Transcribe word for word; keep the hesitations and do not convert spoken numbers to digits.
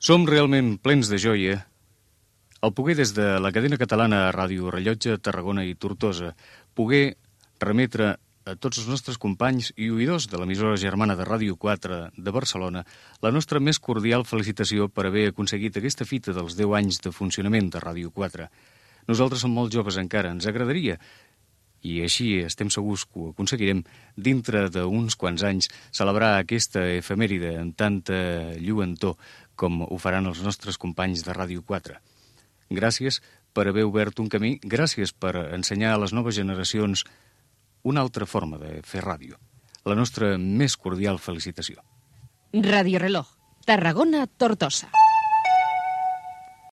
Som realment plens de joia al poder des de la cadena catalana Ràdio Rellotge, Tarragona i Tortosa, poder remetre a tots els nostres companys i oïdors de l'emissora germana de Ràdio quatre de Barcelona la nostra més cordial felicitació per haver aconseguit aquesta fita dels deu anys de funcionament de Ràdio quatre. Nosaltres som molt joves encara, ens agradaria, i així estem segurs que ho aconseguirem, dintre d'uns quants anys, celebrar aquesta efemèride amb tanta lluentor com ho faran els nostres companys de Ràdio quatre. Gràcies per haver obert un camí, gràcies per ensenyar a les noves generacions una altra forma de fer ràdio. La nostra més cordial felicitació. Radio Reloj, Tarragona, Tortosa.